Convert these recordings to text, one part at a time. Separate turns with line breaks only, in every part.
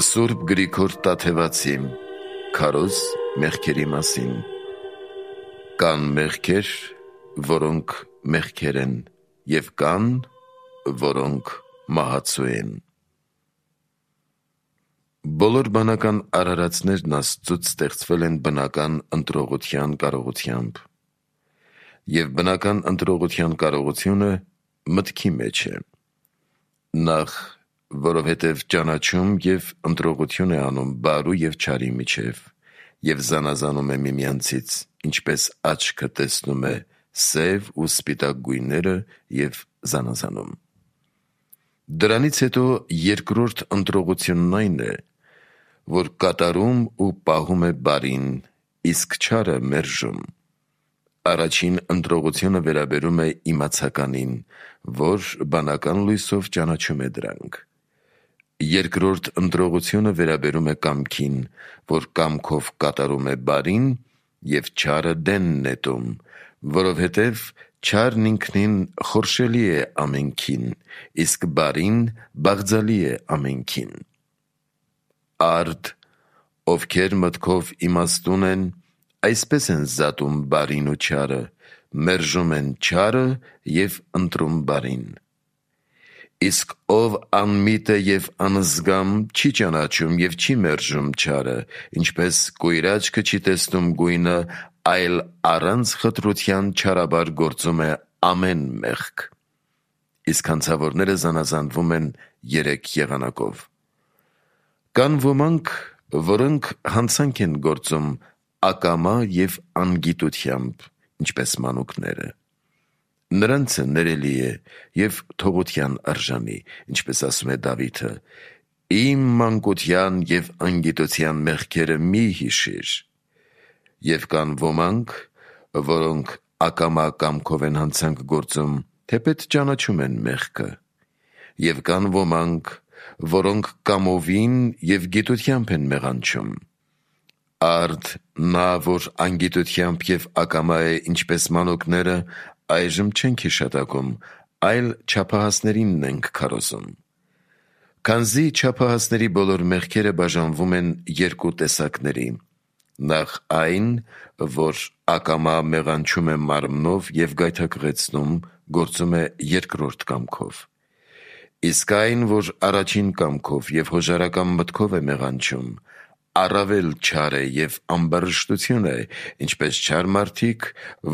Սուրբ Գրիգոր Տաթևացի Քարոզ մեղքերի մասին։ Կան մեղքեր, որոնք մեղքեր են, և կան, որոնք մահացու են։ Բոլոր բանական արարածներն Աստծուց ստեղծվել են բնական ընտրողության կարողությամբ, և բնական ընտրողության կարողությունը մտքի մեջ է։ Նախ, որովհետև ճանաչում և ընտրողություն է անում բարու և չարի միջև, և զանազանում է միմյանցից, ինչպես աչքը տեսնում է սև ու սպիտակ գույները և զանազանում։ Դրանից հետո երկրորդ ընտրողությունն այն է, որ կատարում ու պահում է բարին, իսկ չարը մերժում։ Առաջին ընտրողությունը վերաբերում է իմացականին, որ բանական լույսով ճանաչում է դրանք։ Երկրորդ ընտրողությունը վերաբերում է կամքին, որ կամքով կատարում է բարին, և չարը դեն նետում, որովհետև չարն ինքնին խորշելի է ամենքին, իսկ բարին բաղձալի է ամենքին։ Արդ, ովքեր մտքով իմաստուն են, այսպես են զատում բարին ու չարը, մերժում են չարը և ընտրում բարին։ Իսկ ով անմիտ է և անզգամ, չի ճանաչում և չի մերժում չարը, ինչպես կույր աչքը չի տեսնում գույնը, այլ առանց խտրության չարաբար գործում է ամեն մեղք։ Իսկ հանցավորները զանազանվում են երեք եղանակով։ Կան ոմանք, որոնք հանցանք են գործում ակամա և անգիտությամբ, ինչպես մանուկները։ Նրանցը ներելի է և թողության արժանի, ինչպես ասում է Դավիթը. «Իմ մանկության և անգիտության մեղքերը մի հիշիր»։ Եվ կան ոմանք, որոնք ակամա կամքով են հանցանք գործում, թեպետ ճանաչում են մեղքը։ Եվ կան ոմանք, որոնք կամովին և գիտությամբ են մեղանչում։ Արդ, նա, որ անգիտությամբ և ակամա է, ինչպես մանուկները, այժմ չենք հիշատակում, այլ չափահասներինն ենք քարոզում։ Քանզի չափահասների բոլոր մեղքերը բաժանվում են երկու տեսակների. նախ այն, որ ակամա մեղանչում է մարմնով և գայթակղեցնում, գործում է երկրորդ կամքով։ Իսկ այն, որ առաջին կամքով և հոժարական մտքով է մեղանչում, առավել չար է և ամբարշտություն է, ինչպես չար մարդիկ,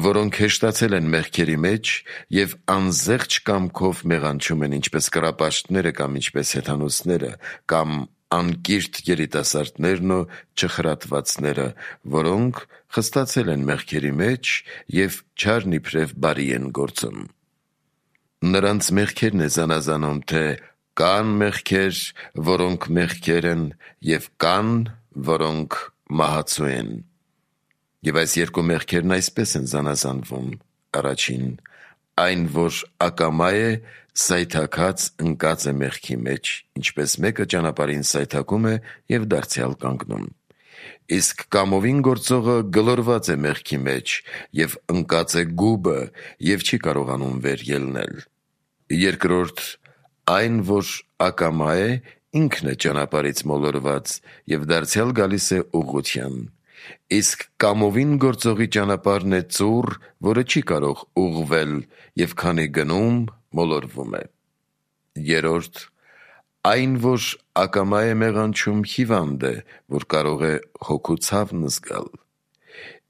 որոնք հեշտացել են մեղքերի մեջ և անզեղչ կամքով մեղանչում են, ինչպես կռապաշտները կամ ինչպես հեթանոսները, կամ անկիրթ երիտասարդներն ու չխրատվածները, որոնք խստացել են մեղքերի մեջ և չարն իբրև բարի են գործում։ Նրանց մեղքերն է զանազանում, թե կան մեղքեր, որոնք մեղքեր են, և կան, որոնք մահացու են։ Եվ այս երկու մեղքերն այսպես են զանազանվում. առաջին, այն, որ ակամա է, սայթաքած ընկած է մեղքի մեջ, ինչպես մեկը ճանապարհին սայթաքում է և դարձյալ կանգնում։ Իսկ կամովին գործողը գլորված է մեղքի մեջ և ընկած է գուբը և չի կարողանում վեր ելնել։ Երկրորդ, այն, որ ակամա է, ինքն է ճանապարհից մոլորված և դարձյալ գալիս է ուղղության։ Իսկ կամովին գործողի ճանապարհն է ծուռ, որը չի կարող ուղղվել, և քանի գնում, մոլորվում է։ Երրորդ, այն, որ ակամա է մեղանչում, հիվանդ է, որ կարող է հոգու ցավն զգալ։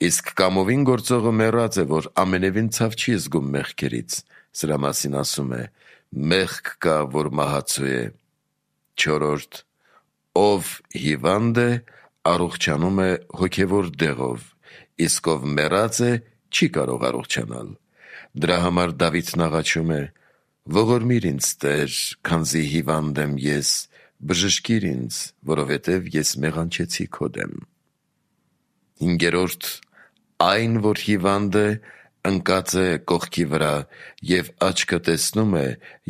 Իսկ կամովին գործողը մեռած է, որ ամենևին ցավ չի զգում մեղքերից, սրա մասին ասում է. «Մեղք կա, որ մահացու է»։ Չորրորդ, ով հիվանդ է, առողջանում է հոգևոր դեղով, իսկ ով մեռած է, չի կարող առողջանալ։ Դրա համար Դավիթն աղաչում է. «Ողորմիր ինձ, Տեր, քանզի հիվանդ եմ ես, բժշկիր ինձ, որովհետև ես մեղանչեցի քո դեմ»։ Հինգերորդ, այն, որ հիվանդ է, ընկած է կողքի վրա և աչքը տեսնում է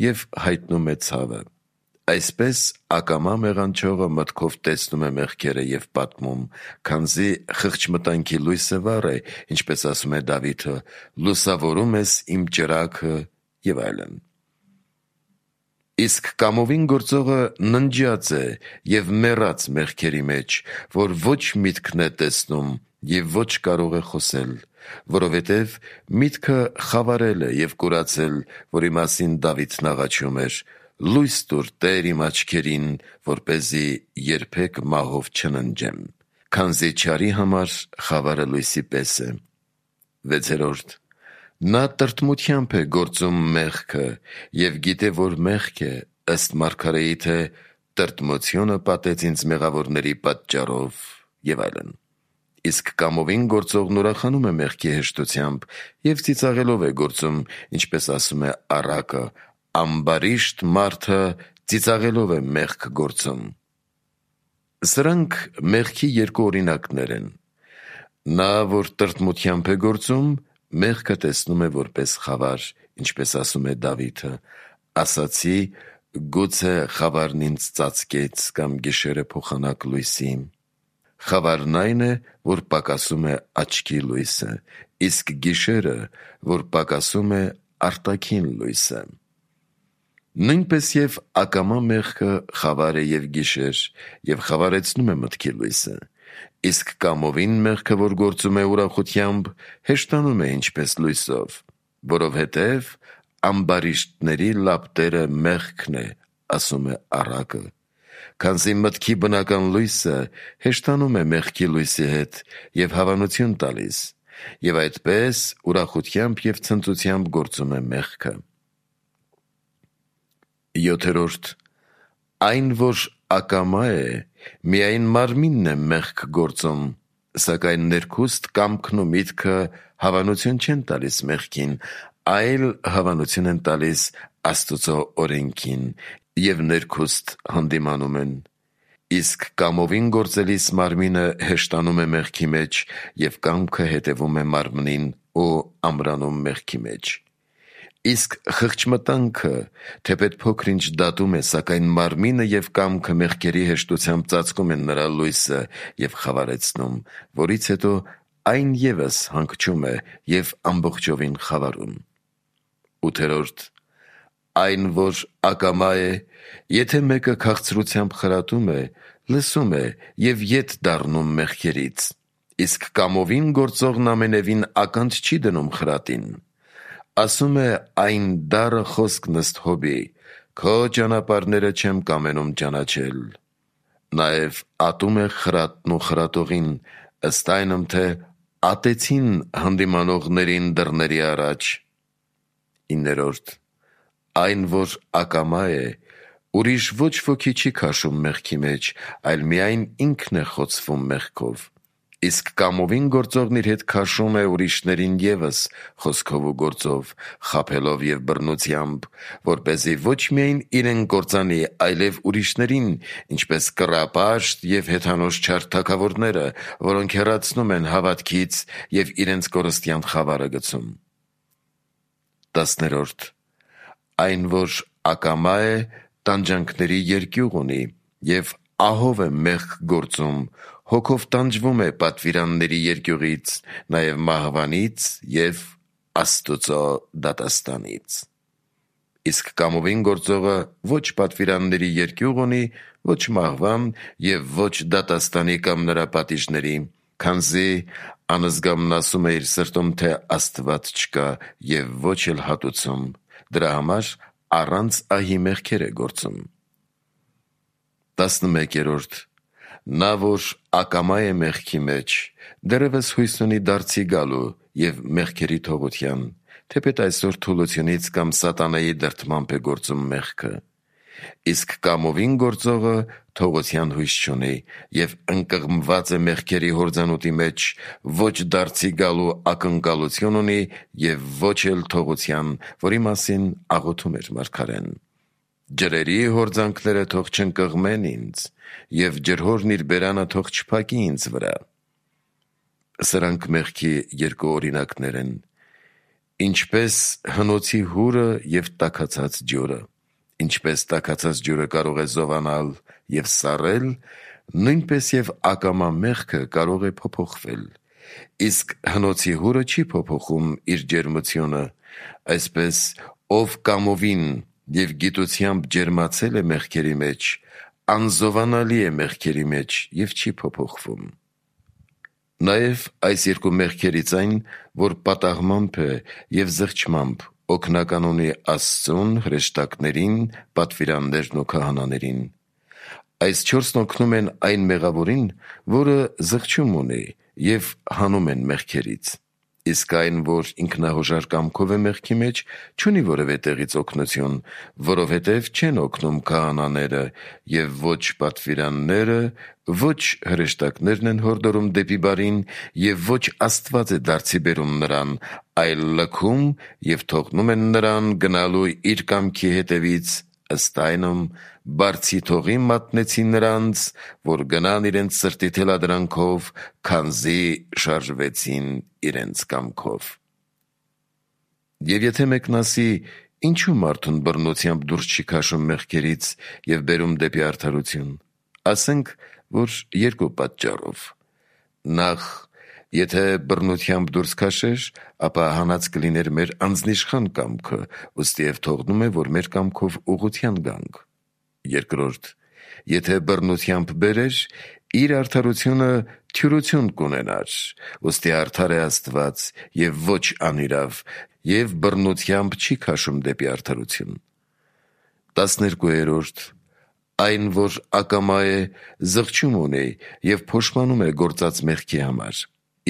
և հայտնում է ցավը։ Այսպես ակամա մեղանչողը մտքով տեսնում է մեղքերը և պատմում, քանզի խղճմտանքի լույսը վառ է, ինչպես ասում է Դավիթը. «Լուսավորում ես իմ ճրագը» և այլն։ Իսկ կամովին գործողը ննջած է և մեռած մեղքերի մեջ, որ ոչ միտքն է տեսնում և ոչ կարող է խոսել, որովհետև միտքը խավարել է և կուրացել, որի մասին Դավիթն աղաչում էր. «Լույս տուր, Տեր, իմ աչքերին, որպեսզի երբեք մահով չննջեմ, քանզի չարի համար խավարը լույսի պես է»։ 6. Նա տրտմությամբ է գործում մեղքը և գիտե, որ մեղք է, ըստ մարգարեի, թե «Տրտմությունը պատեց ինձ մեղավորների պատճառով» և այլն։ Իսկ կամովին գործողն ուրախանում է մեղքի հեշտությամբ և ծիծաղելով է գործում, ինչպես ասում է առակը. «Ամբարիշտ մարդը ծիծաղելով է մեղք գործում»։ Սրանք մեղքի երկու օրինակներ են։ Նա, որ տրտմությամբ է գործում, մեղքը տեսնում է որպես խավար, ինչպես ասում է Դավիթը. «Ասացի, գուցե խավարն ինձ ծածկեց կամ գիշերը փոխանակ լույսի»։ Խավարն այն է, որ պակասում է աչքի լույսը, իսկ գիշերը, որ պակասում է արտաքին լույսը։ Նույնպես և ակամա մեղքը խավար է և գիշեր, և խավարեցնում է մտքի լույսը, իսկ կամովին մեղքը, որ գործում է ուրախությամբ, հեշտանում է ինչպես լույսով, որովհետև ամբարիշտների լապտերը մեղքն է, ասում է առակը, քանզի մտքի բնական լույսը հեշտանում է մեղքի լույսի հետ և հավանություն տալիս, և այդպես ուրախությամբ և ցնծությամբ գործում է մեղքը։ 7. Այն, որ ակամա է, միայն մարմինն է մեղք գործում, սակայն ներքուստ կամքն ու միտքը հավանություն չեն տալիս մեղքին, այլ հավանություն են տալիս Աստծո օրենքին և ներքուստ հանդիմանում են։ Իսկ կամովին գործելիս մարմինը հեշտանում է մեղքի մեջ և կամքը հետևում է մարմնին ու ամրանում մեղքի մեջ։ Իսկ խղճմտանքը թեպետ փոքր-ինչ դատում է, սակայն մարմինը և կամքը մեղքերի հեշտությամբ ծածկում են նրա լույսը և խավարեցնում, որից հետո այն ևս հանգչում է և ամբողջովին խավարում։ 8. Այն, որ ակամա է, եթե մեկը քաղցրությամբ խրատում է, լսում է և ետ դառնում մեղքերից, իսկ կամովին գործողն ամենևին ականջ չի դնում խրատին։ Ասում է այն դառը խոսքն ըստ Հոբի. «Քո ճանապարհները չեմ կամենում ճանաչել»։ Նաև ատում է խրատն ու խրատողին, ըստ այնմ, թե ատեցին հանդիմանողներին դռների առաջ։ 9. Այն, որ ակամա է, ուրիշ ոչ ոքի չի քաշում մեղքի մեջ, այլ միայն ինքն է խոցվում մեղքով, իսկ կամովին գործողն իր հետ քաշում է ուրիշներին ևս խոսքով ու գործով, խաբելով և բռնությամբ, որպեսզի ոչ միայն իրեն կործանի, այլև ուրիշներին, ինչպես կռապաշտ և հեթանոս չար թագավորները, որոնք հեռացնում են հավատքից և իրենց կորստյան խավարը գցում։ 10. Այն, որ ակամա է, տանջանքների երկյուղ ունի և ահով է մեղք գործում, հոգով տանջվում է պատվիրանների երկյուղից, նաև մահվանից և Աստծո դատաստանից։ Իսկ կամովին գործողը ոչ պատվիրանների երկյուղ ունի, ոչ մահվան և ոչ դատաստանի կամ նրա պատիժների, քանզի անզգամն ասում է իր սրտում, թե Աստված չկա և ոչ էլ հատուցում, դրա համար առանց ահի մեղքեր է գործում։ 11. Նա, որ ակամա է մեղքի մեջ, դեռևս հույս ունի դարձի գալու և մեղքերի թողության, թեպետ այսօր թուլությունից կամ սատանայի դրդմամբ է գործում մեղքը։ Իսկ կամովին գործողը թողության հույս չունի և ընկղմված է մեղքերի հորձանուտի մեջ, ոչ դարձի գալու ակնկալություն ունի և ոչ էլ թողության, որի մասին աղոթում էր մարգարեն. «Ջրերի հորձանքները թող չընկղմեն ինձ, և ջրհորն իր բերանը թող չփակի ինձ վրա»։ Սրանք մեղքի երկու օրինակներ են։ Ինչպես հնոցի հուրը և տաքացած ջուրը, ինչպես տաքացած ջուրը կարող է զովանալ և սառել, նույնպես և ակամա մեղքը կարող է փոփոխվել, իսկ հնոցի հուրը չի փոփոխում իր ջերմությունը, այսպես ով կամովին և գիտությամբ ջերմացել է մեղքերի մեջ, անզովանալի է մեղքերի մեջ և չի փոփոխվում։ Նաև այս երկու մեղքերից այն, որ պատահմամբ է և զղջմամբ, օգնական ունի Աստծուն, հրեշտակներին, պատվիրաններն ու քահանաներին։ Այս չորսն օգնում են այն մեղավորին, որը զղջում ունի և հանում են մեղքերից, իսկ այն, որ ինքնահոժար կամքով է մեղքի մեջ, չունի որևէ տեղից օգնություն, որովհետև չեն օգնում քահանաները և ոչ պատվիրանները, ոչ հրեշտակներն են հորդորում դեպի բարին և ոչ Աստված է դարձի բերում նրան, այլ լքում և թողնում են նրան գնալու իր կամքի հետևից, ըստ այնմ բարձի թողի մատնեցի նրանց, որ գնան իրենց սրտի թելադրանքով, քանզի շարժվեցին իրենց կամքով։ Եվ եթե մեկն ասի. «Ինչու մարդուն բռնությամբ դուրս չի քաշում մեղքերից և բերում դեպի արդարություն», ասենք, որ երկու պատճառով. Նախ, եթե բռնությամբ դուրս քաշեր, ապա հանած կլիներ մեր անձնիշխան կամքը, ուստիև թողնում է, որ մեր կամքով ուղղության գանք։ Երկրորդ, եթե բռնությամբ բերեր, իր արդարությունը թյուրություն կունենար, ուստի արդար է Աստված և ոչ անիրավ, և բռնությամբ չի քաշում դեպի արդարություն։ 12. Այն, որ ակամա է, զղջում ունի և փոշմանում է գործած մեղքի համար,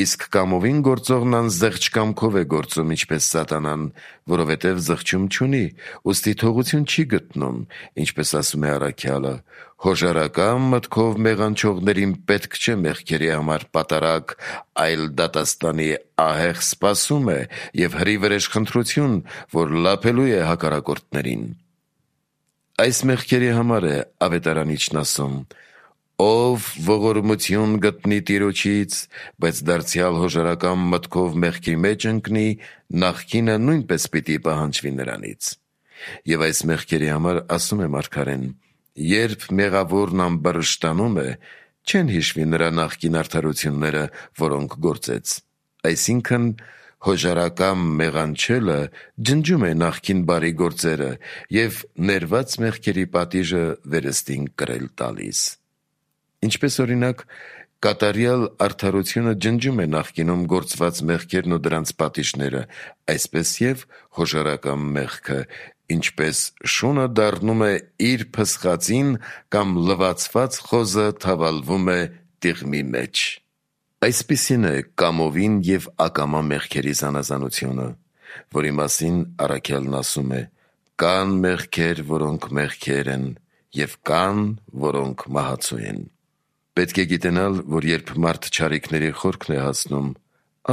իսկ կամովին գործողն անզեղջ կամքով է գործում, ինչպես Սատանան, որովհետև զղջում չունի, ուստի թողություն չի գտնում, ինչպես ասում է առաքյալը. «Հոժարակամ մտքով մեղանչողներին պետք չէ մեղքերի համար պատարագ, այլ դատաստանի ահեղ սպասում է և հրի-վրեժ խնդրություն, որ լափելու է հակառակորդներին»։ Այս մեղքերի համար է ավետարանիչն ասում. «Ով ողորմություն գտնի Տիրոջից, բայց դարձյալ հոժարակամ մտքով մեղքի մեջ ընկնի, նախկինը նույնպես պիտի պահանջվի նրանից»։ Եվ այս մեղքերի համար ասում է մարգարեն. «Երբ մեղավորն ամբարշտանում է, չեն հիշվի նրա նախկին արդարությունները, որոնք գործեց»։ Այսինքն, հոժարակամ մեղանչելը ջնջում է նախկին բարի գործերը և ներված մեղքերի պատիժը վերստին կրել տալիս։ Ինչպես օրինակ, կատարյալ արդարությունը ջնջում է նախկինում գործված մեղքերն ու դրանց պատիժները, այսպես և հոժարակամ մեղքը, ինչպես շունը դառնում է իր փսխածին կամ լվացված խոզը թավալվում է տիղմի մեջ։ Այսպիսին է կամովին և ակամա մեղքերի զանազանությունը, որի մասին առաքյալն ասում է. «Կան մեղքեր, որոնք մեղքեր են, և կան, որոնք մահացու են»։ Պետք է գիտենալ, որ երբ մարդ չարիքների խորքն է հասնում,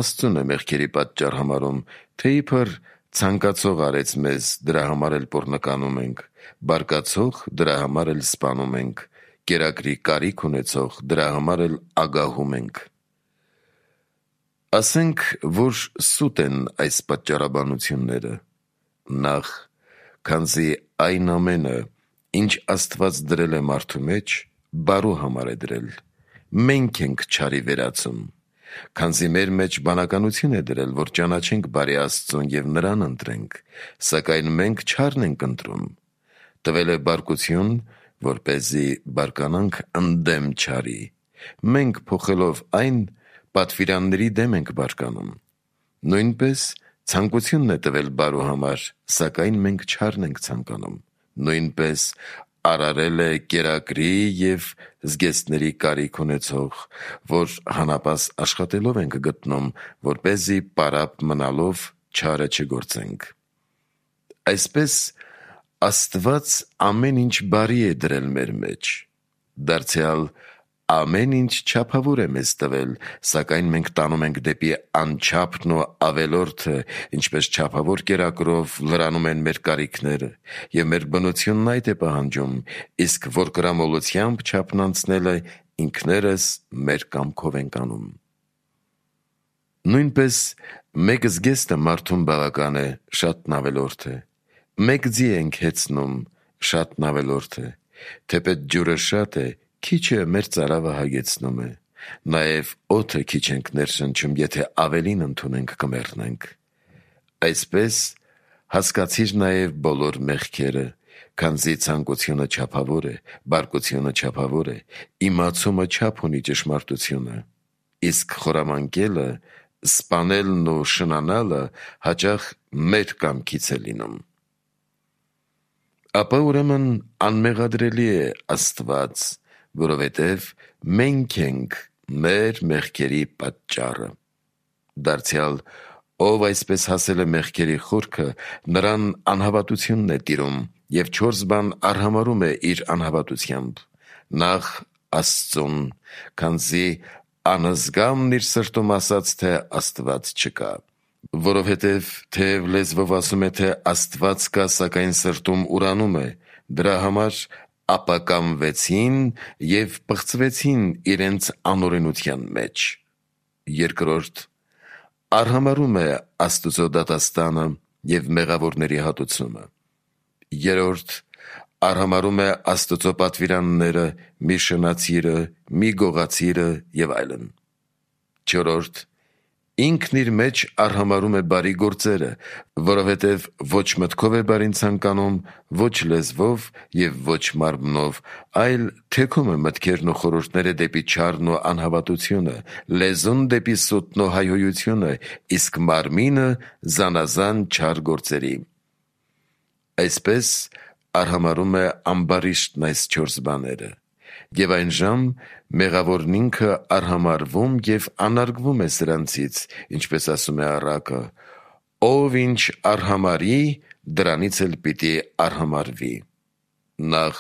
Աստծուն է մեղքերի պատճառ համարում, թե իբր ցանկացող արեց մեզ, դրա համար էլ պոռնականում ենք, բարկացող, դրա համար էլ սպանում ենք, կերակրի կարիք ունեցող, դրա համար էլ ագահում ենք։ Ասենք, որ սուտ են այս պատճառաբանությունները. Նախ, քանզի այն ամենը, ինչ Աստված դրել է մարդու մեջ, բարու համար է դրել, մենք ենք չարի վերածում, քանզի մեր մեջ բանականություն է դրել, որ ճանաչենք բարի Աստծուն և նրան ընտրենք, սակայն մենք չարն ենք ընտրում, տվել է բարկություն, որպեսզի բարկանանք ընդդեմ չարի, մենք փոխելով այն, պատվիրանների դեմ ենք բարկանում։ Նույնպես ցանկությունն է տվել բարու համար, սակայն մենք չարն ենք ցանկանում։ Նույնպես արարել է կերակրի և զգեստների կարիք ունեցող, որ հանապաս աշխատելով ենք գտնում, որպեսզի պարապ մնալով չարը չգործենք։ Այսպես Աստված ամեն ինչ բարի է դրել մեր մեջ, դարձյալ ամեն ինչ չափավոր է մեզ տվել, սակայն մենք տանում ենք դեպի անչափն ու ավելորդը, ինչպես չափավոր կերակրով լրանում են մեր կարիքները, և մեր բնությունն այդ է պահանջում, իսկ որ կրամոլությամբ չափն անցնելը ինքներս մեր կամքով ենք անում։ Նույնպես մեկ զգեստը մարդուն բավական է, շատն ավելորդ է, մեկ ձի ենք հեծնում, շատն ավելորդ է, թեպետ ջուրը շատ է, քիչը մեր ծարավը հագեցնում է, նաև օդը քիչ ենք ներշնչում, եթե ավելին ընդունենք կմեռնենք։ Այսպես հասկացիր նաև բոլոր մեղքերը, քանզի ցանկությունը չափավոր է, բարկությունը չափավոր է, իմացումը չափ ունի ճշմարտությունը, իսկ խորամանկելը, սպանելն ու շնանալը հաճախ մեր կամքից է լինում։ Ապա ուրեմն անմեղադրելի է Աստված, որովհետև մենք ենք մեր մեղքերի պատճառը։ Դարձյալ, ով այսպես հասել է մեղքերի խորքը, նրան անհավատությունն է տիրում և 4 բան արհամարում է իր անհավատությամբ. նախ Աստծուն, քանզի անզգամն իր սրտում ասաց, թե Աստված չկա, որովհետև թեև լեզվով ասում է, թե Աստված կա, սակայն սրտում ուրանում է, դրա համար ապակամվեցին և պղծվեցին իրենց անօրենության մեջ։ Երկրորդ, արհամարում է Աստուծո դատաստանը և մեղավորների հատուցումը։ Երրորդ, արհամարում է Աստուծո պատվիրանները, մի շնացիրը, մի գողացիրը և այլն։ Չորրորդ, ինքն իր մեջ արհամարում է բարի գործերը, որովհետև ոչ մտքով է բարին ցանկանում, ոչ լեզվով և ոչ մարմնով, այլ թեքում է մտքերն ու խորհուրդները դեպի չարն ու անհավատությունը, լեզուն դեպի սուտն ու հայհոյությունը, իսկ մարմինը զանազան չար գործերի։ Այսպես արհամարում է ամբարիշտն այս 4 բաները, և այն ժամ մեղավորն ինքը արհամարվում և անարգվում է սրանցից, ինչպես ասում է առակը. ով ինչ արհամարի, դրանից էլ պիտի արհամարվի։ Նախ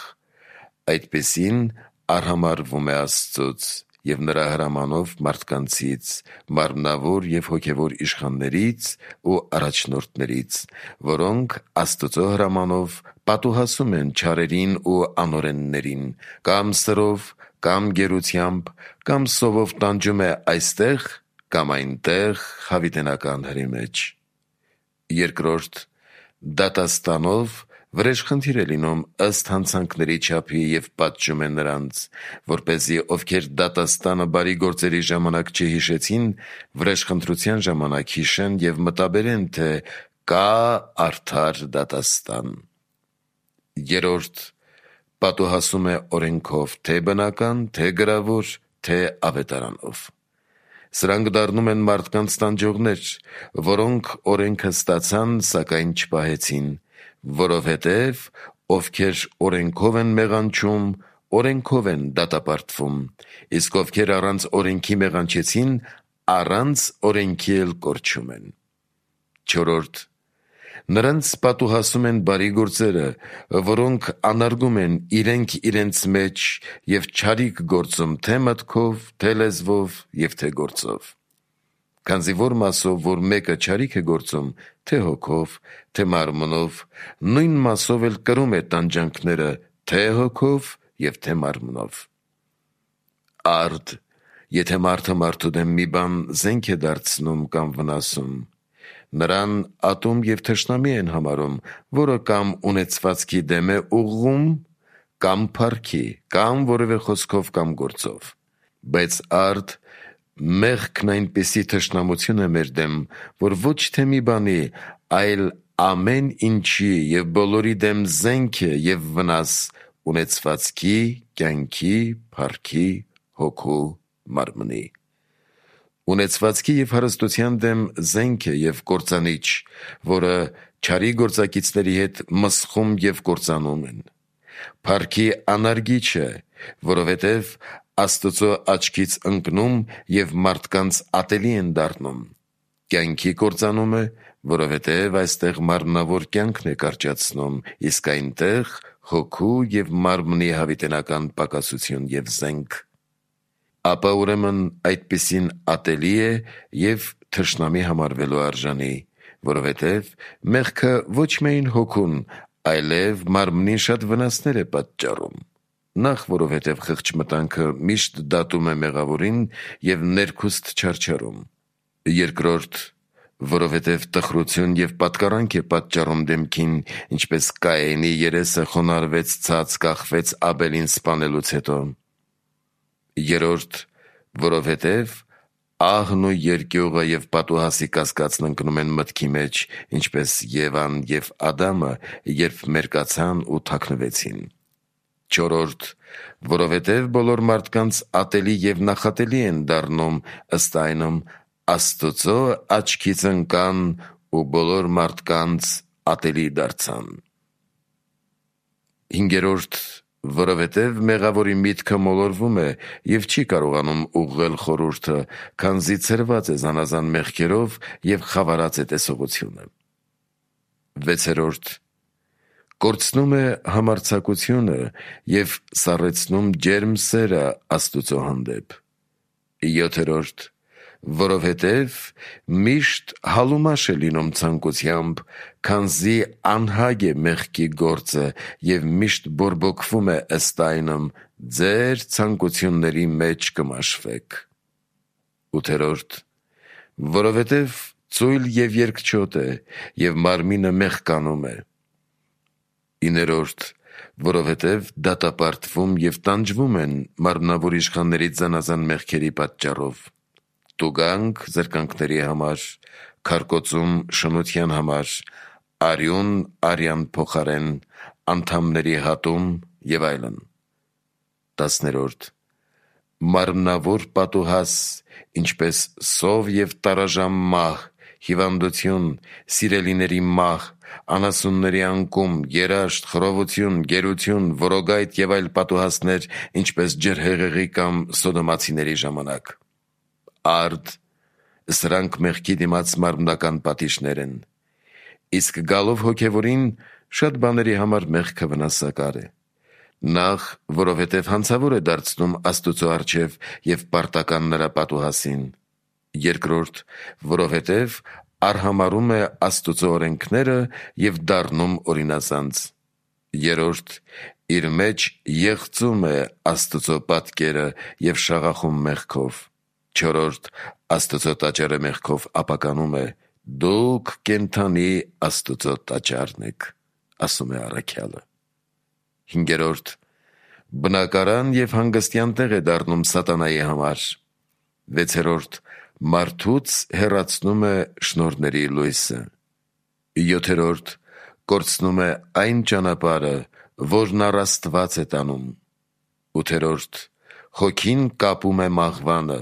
այդպիսին արհամարվում է Աստծուց և նրա հրամանով մարդկանցից, մարմնավոր և հոգևոր իշխաններից ու առաջնորդներից, որոնք Աստծո հրամանով պատուհասում են չարերին ու անօրեններին, կամ սրով, կամ գերությամբ, կամ սովով տանջում է այստեղ կամ այնտեղ հավիտենական հրի մեջ։ Երկրորդ, դատաստանով վրեժխնդիր է լինում ըստ հանցանքների չափի և պատժում է նրանց, որպեսզի ովքեր դատաստանը բարի գործերի ժամանակ չհիշեցին, վրեժխնդրության ժամանակ հիշեն և մտաբերեն, թե կա արդար դատաստան։ Երրորդ, պատուհասում է օրենքով, թե բնական, թե գրավոր, թե ավետարանով։ Սրանք դառնում են մարդկանց տանջողներ, որոնք օրենքը ստացան, սակայն չպահեցին, որովհետև ովքեր օրենքով են մեղանչում, օրենքով են դատապարտվում, իսկ ովքեր առանց օրենքի մեղանչեցին, առանց օրենքի էլ կորչում են։ Չորրորդ, նրանց պատուհասում են բարի գործերը, որոնք անարգում են իրենք իրենց մեջ և չարիք գործում թե մտքով, թե լեզվով և թե գործով։ Քանզի որ մասով, որ մեկը չարիք է գործում, թե հոգով, թե մարմնով, նույն մասով էլ կրում է տանջանքները, թե հոգով և թե մարմնով։ Արդ, եթե մարդը մարդու դեմ մի բան զենք է դարձնում կամ վնասում, նրան ատում և թշնամի են համարում, որը կամ ունեցվածքի դեմ է ուղղում, կամ փառքի, կամ որևէ խոսքով կամ գործով։ Բայց արդ, մեղքն այնպիսի թշնամություն է մեր դեմ, որ ոչ թե մի բանի, այլ ամեն ինչի և բոլորի դեմ զենք է և վնաս ունեցվածքի, կյանքի, փառքի, հոգու, մարմնի։ Ունեցվածքի և հարստության դեմ զենք է և կործանիչ, որը չարի գործակիցների հետ մսխում և կործանում են։ Փառքի անարգիչ է, որովհետև Աստծո աչքից ընկնում և մարդկանց ատելի են դառնում։ Կյանքի կործանում է, որովհետև այստեղ մարմնավոր կյանքն է կարճացնում, իսկ այնտեղ հոգու և մարմնի հավիտենական պակասություն և զենք։ Ապա ուրեմն այդպիսին ատելի է և թշնամի համարվելու արժանի, որովհետև մեղքը ոչ միայն հոգուն, այլև մարմնին շատ վնասներ է պատճառում։ Նախ, որովհետև խղճ մտանքը միշտ դատում է մեղավորին և ներքուստ չարչարում։ Երկրորդ, որովհետև տխրություն և պատկառանք է պատճառում դեմքին, ինչպես Կայենի երեսը խոնարհվեց ցած կախվեց Աբելին սպանելուց հետո։ Երրորդ, որովհետև ահն ու երկյուղը և պատուհասի կասկածն ընկնում են մտքի մեջ, ինչպես Եվան և Ադամը, երբ մերկացան ու թաքնվեցին։ 4. Որովհետև բոլոր մարդկանց ատելի և նախատելի են դառնում, ըստ այնմ Աստծո աչքից ընկան ու բոլոր մարդկանց ատելի դարձան։ 5. Որովհետև մեղավորի միտքը մոլորվում է և չի կարողանում ուղղել խորհուրդը, քանզի ցրված է զանազան մեղքերով և խավարած է տեսողությունը։ 6. Կորցնում է համարձակությունը և սառեցնում ջերմ սերը Աստուծո հանդեպ։ 7. Որովհետև միշտ հալումաշ է լինում ցանկությամբ, քանզի անհագ է մեղքի գործը և միշտ բորբոքվում է, ըստ այնմ ձեր ցանկությունների մեջ կմաշվեք։ 8. Որովհետև ծույլ և երկչոտ է և մարմինը մեղկանում է։ 9. Որովհետև դատապարտվում և տանջվում են մարմնավոր իշխաններից զանազան մեղքերի պատճառով. տուգանք զրկանքների համար, քարկոծում շնության համար, արյուն արյան փոխարեն, անդամների հատում և այլն։ 10. Մարմնավոր պատուհաս, ինչպես սով և տարաժամ մահ, հիվանդություն, սիրելիների մահ, անասունների անկում, երաշտ, խռովություն, գերություն, որոգայթ և այլ պատուհասներ, ինչպես ջրհեղեղի կամ սոդոմացիների ժամանակ։ Արդ, սրանք մեղքի դիմաց մարմնական պատիժներ են։ Իսկ գալով հոգևորին, շատ բաների համար մեղքը վնասակար է։ Նախ, որովհետև հանցավոր է դարձնում Աստուծո առջև և պարտական նրա պատուհասին։ Երկրորդ, որովհետև արհամարհում է Աստուծո օրենքները և դառնում օրինազանց։ Երրորդ, իր մեջ եղծում է Աստուծո պատկերը և շաղախում մեղքով։ Չորրորդ, Աստուծո տաճարը մեղքով ապականում է։ Դուք կենդանի Աստուծո տաճարն եք, ասում է առաքյալը։ Հինգերորդ, բնակարան և հանգստյան տեղ է դառնում սատանայի համար։ Վեցերորդ, մարդուց հեռացնում է շնորհների լույսը։ 7. Կորցնում է այն ճանապարհը, որն առ Աստված է տանում։ 8. Հոգին կապում է մահվանը։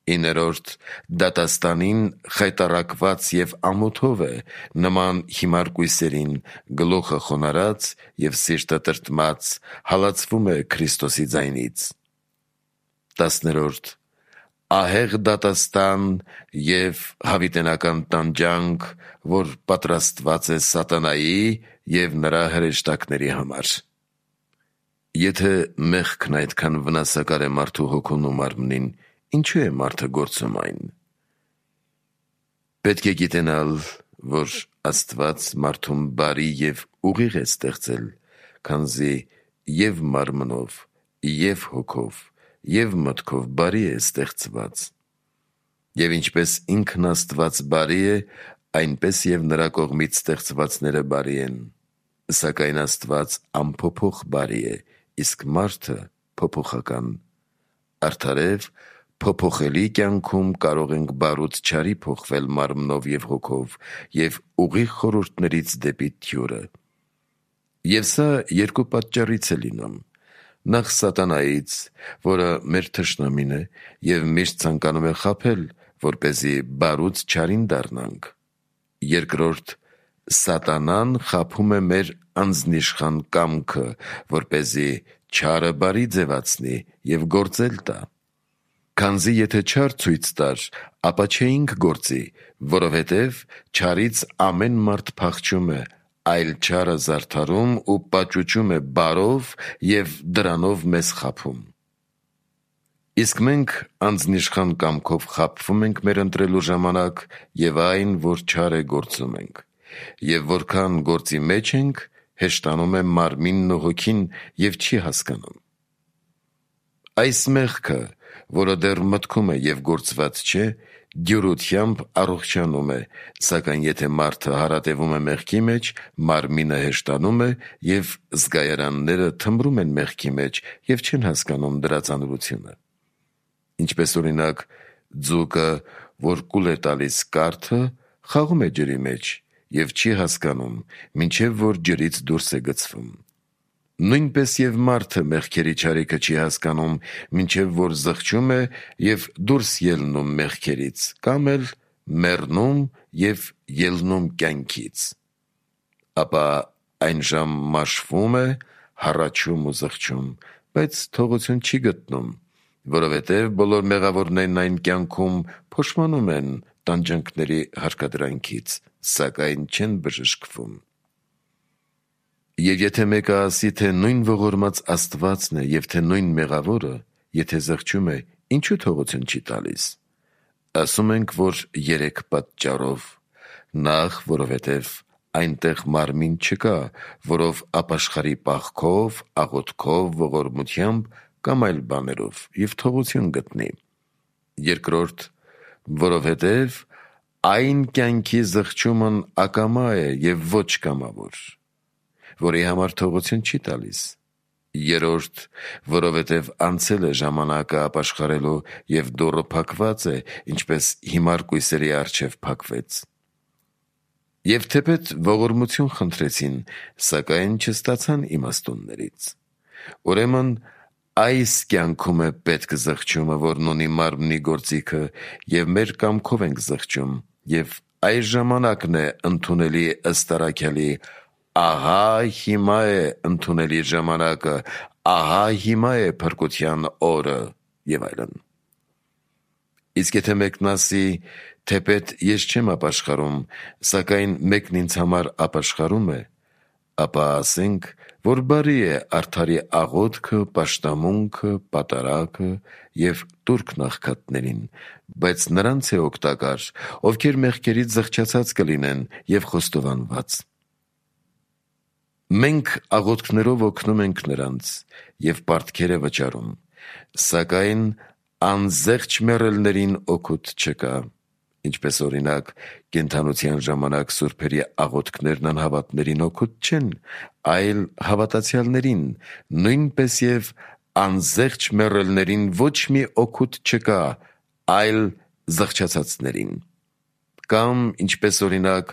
9. Դատաստանին խայտառակված և ամոթով է, նման հիմար կույսերին, գլուխը խոնարհած և սիրտը տրտմած, հալածվում է Քրիստոսի ձայնից։ 10. Ահեղ դատաստան և հավիտենական տանջանք, որ պատրաստված է սատանայի և նրա հրեշտակների համար։ Եթե մեղքն այդքան վնասակար է մարդու հոգուն ու մարմնին, ինչու է մարդը գործում այն։ Պետք է գիտենալ, որ Աստված մարդուն բարի և ուղիղ է ստեղծել, քանզի և մարմնով, և հոգով, և մտքով բարի է ստեղծված։ Եվ ինչպես ինքն Աստված բարի է, այնպես և նրա կողմից ստեղծվածները բարի են։ Սակայն Աստված անփոփոխ բարի է, իսկ մարդը փոփոխական։ Արդարև, փոփոխելի կյանքում կարող ենք բարուց չարի փոխվել մարմնով և հոգով և ուղիղ խորհուրդներից դեպի թյուրը։ Եվ սա երկու պատճառից է լինում. նախ սատանայից, որը մեր թշնամին է և միշտ ցանկանում է խաբել, որպեսզի բարուց չարին դառնանք։ Երկրորդ, սատանան խաբում է մեր անձնիշխան կամքը, որպեսզի չարը բարի ձևացնի և գործել տա։ Քանզի եթե չար ցույց տար, ապա չէինք գործի, որովհետև չարից ամեն մարդ փախչում է, այլ չարը զարդարում ու պաճուճում է բարով և դրանով մեզ խաբում։ Իսկ մենք անձնիշխան կամքով խաբվում ենք մեր ընտրելու ժամանակ և այն, որ չար է, գործում ենք։ Եվ որքան գործի մեջ ենք, հեշտանում է մարմինն ու հոգին և չի հասկանում։ Այս մեղքը, որը դեռ մտքում է և գործված չէ, դյուրությամբ առողջանում է, սակայն եթե մարդը հարատևում է մեղքի մեջ, մարմինը հեշտանում է և զգայարանները թմրում են մեղքի մեջ և չեն հասկանում դրա ծանրությունը։ Ինչպես օրինակ, Ձուկը, որ կուլ է տալիս կարթը, խաղում է ջրի մեջ և չի հասկանում, մինչև որ ջրից դուրս է գցվում։ Նույնպես և մարդը մեղքերի չարիքը չի հասկանում, մինչև որ զղջում է և դուրս ելնում մեղքերից, կամ էլ մեռնում և ելնում կյանքից։ Ապա այն ժամ մաշվում է, հառաչում ու զղջում, բայց թողություն չի գտնում, որովհետև բոլոր մեղավորներն այն կյանքում փոշմանում են տանջանքների հարկադրանքից, սակայն չեն բժշկվում։ Եվ եթե մեկը ասի, թե նույն ողորմած Աստվածն է և թե նույն մեղավորը, եթե զղջում է, ինչու թողություն չի տալիս։ Ասում ենք, որ 3 պատճառով. Նախ, որովհետև այնտեղ մարմին չկա, որով ապաշխարի պաղքով, աղոթքով, ողորմությամբ կամ այլ բաներով և թողություն գտնի։ Երկրորդ, որովհետև այն կյանքի զղջումն ակամա է և ոչ կամավոր, որի համար թողություն չի տալիս։ Երրորդ, որովհետև անցել է ժամանակը ապաշխարելու և դուռը փակված է, ինչպես հիմար կույսերի առջև փակվեց։ Եվ թեպետ ողորմություն խնդրեցին, սակայն չստացան իմաստուններից։ Ուրեմն այս կյանքում է պետք զղջումը, որն ունի մարմնի գործիքը, և մեր կամքով ենք զղջում, և այս ժամանակն է ընդունելի ըստ առաքյալի. ահա հիմա է ընդունելի ժամանակը, ահա հիմա է փրկության օրը, և այլն։ Իսկ եթե մեկն ասի, թեպետ ես չեմ ապաշխարում, սակայն մեկն ինձ համար ապաշխարում է, ապա ասենք, որ բարի է արդարի աղոթքը, պաշտամունքը, պատարագը և տուրքն աղքատներին, բայց նրանց է օգտակար, ովքեր մեղքերից զղջացած կլինեն և խոստովանված։ Մենք աղոթքներով օգնում ենք նրանց և պարտքեր է վճարում, սակայն անզեղչ մեռելներին օգուտ չկա, ինչպես օրինակ, կենդանության ժամանակ սուրբերի աղոթքներն անհավատներին օգուտ չեն, այլ հավատացյալներին, նույնպես և անզեղչ մեռելներին ոչ մի օգուտ չկա, այլ զղջացածներին։ Կամ, ինչպես օրինակ,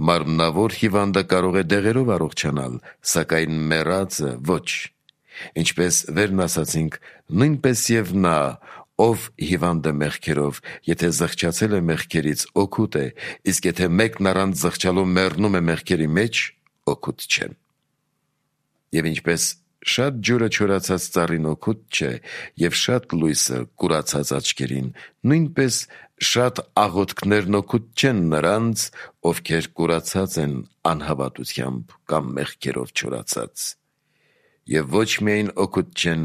մարմնավոր հիվանդը կարող է դեղերով առողջանալ, սակայն մեռածը ոչ։ Ինչպես վերն ասացինք, նույնպես և նա, ով հիվանդ է մեղքերով, եթե զղջացել է մեղքերից, օգուտ է, իսկ եթե մեկն առանց զղջալու մեռնում է մեղքերի մեջ, օգուտ չէ։ Եվ ինչպես շատ ջուրը չորացած ծառին օգուտ չէ, և շատ լույսը կուրացած աչքերին, նույնպես շատ աղոթքներն օգուտ չեն նրանց, ովքեր կուրացած են անհավատությամբ կամ մեղքերով չորացած։ Եվ ոչ միայն օգուտ չեն,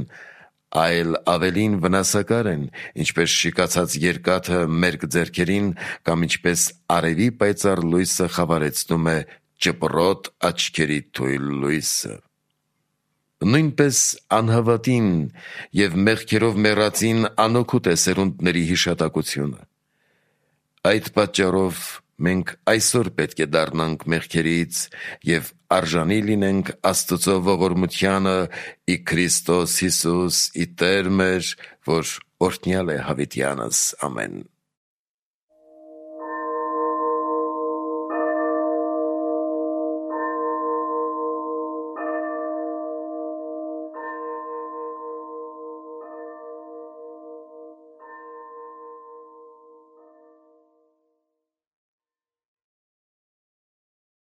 այլ ավելին վնասակար են, ինչպես շիկացած երկաթը մերկ ձեռքերին, կամ ինչպես արևի պայծառ լույսը խավարեցնում է ճպռոտ աչքերի թույլ լույսը։ Նույնպես անհավատին և մեղքերով մեռածին անօգուտ է սերունդների հիշատակությունը։ Այդ պատճառով մենք այսօր պետք է դառնանք մեղքերից և արժանի լինենք Աստծո ողորմությանը ի Քրիստոս Հիսուս ի Տեր մեր, որ օրհնյալ է հավիտյանս։ Ամեն։